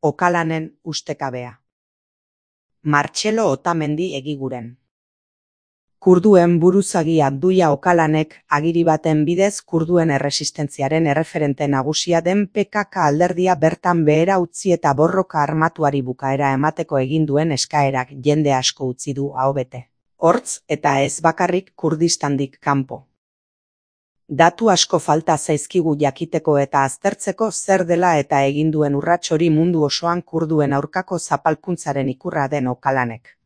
Okalanen ustekabea. Martxelo Otamendi egiguren. Kurduen buruzagi Abdulla Okalanek agiri baten bidez kurduen erresistentziaren erreferente nagusia den PKK alderdia bertan behera utzi eta borroka armatuari bukaera emateko egin duen eskaerak jende asko utzi du aho bete. Hortz eta ez bakarrik Kurdistandik kanpo. Datu asko falta zaizkigu jakiteko eta aztertzeko zer dela eta egin duen urrats hori mundu osoan kurduen aurkako zapalkuntzaren ikurra den Okalanek.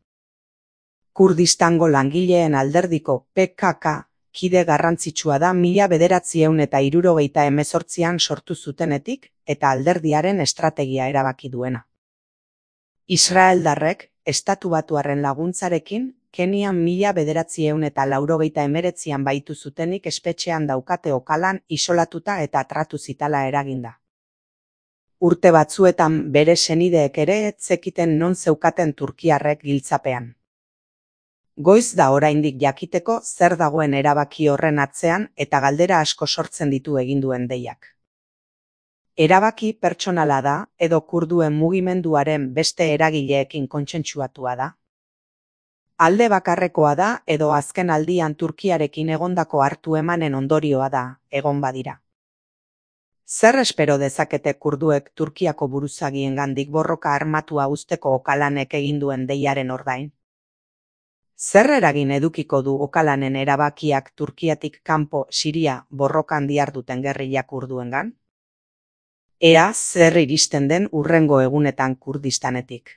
Kurdistango langileen alderdiko PKK kide garrantzitsua da 1978an sortu zutenetik eta alderdiaren estrategia erabaki duena. Israeldarrek estatubatuarren laguntzarekin Kenian 1989an baitu zutenik espetxean daukate Okalan isolatuta eta tratu zitala eraginda. Urte batzuetan bere senideek ere ez zekiten non zeukaten turkiarrek giltzapean. Goiz da oraindik jakiteko zer dagoen erabaki horren atzean eta galdera asko sortzen ditu egin duen deiak. Erabaki pertsonala da edo kurduen mugimenduaren beste eragileekin kontsentsuatua da? Alde bakarrekoa da edo azken aldian Turkiarekin egondako hartu emanen ondorioa da, egon badira. Zer espero dezakete kurduek Turkiako buruzagiengandik borroka armatua uzteko Okalanek egin duen deiaren ordain? Zer eragin edukiko du Okalanen erabakiak Turkiatik kanpo Siria borrokan diharduten gerrilla kurduengan? Ea zer iristen den hurrengo egunetan Kurdistanetik.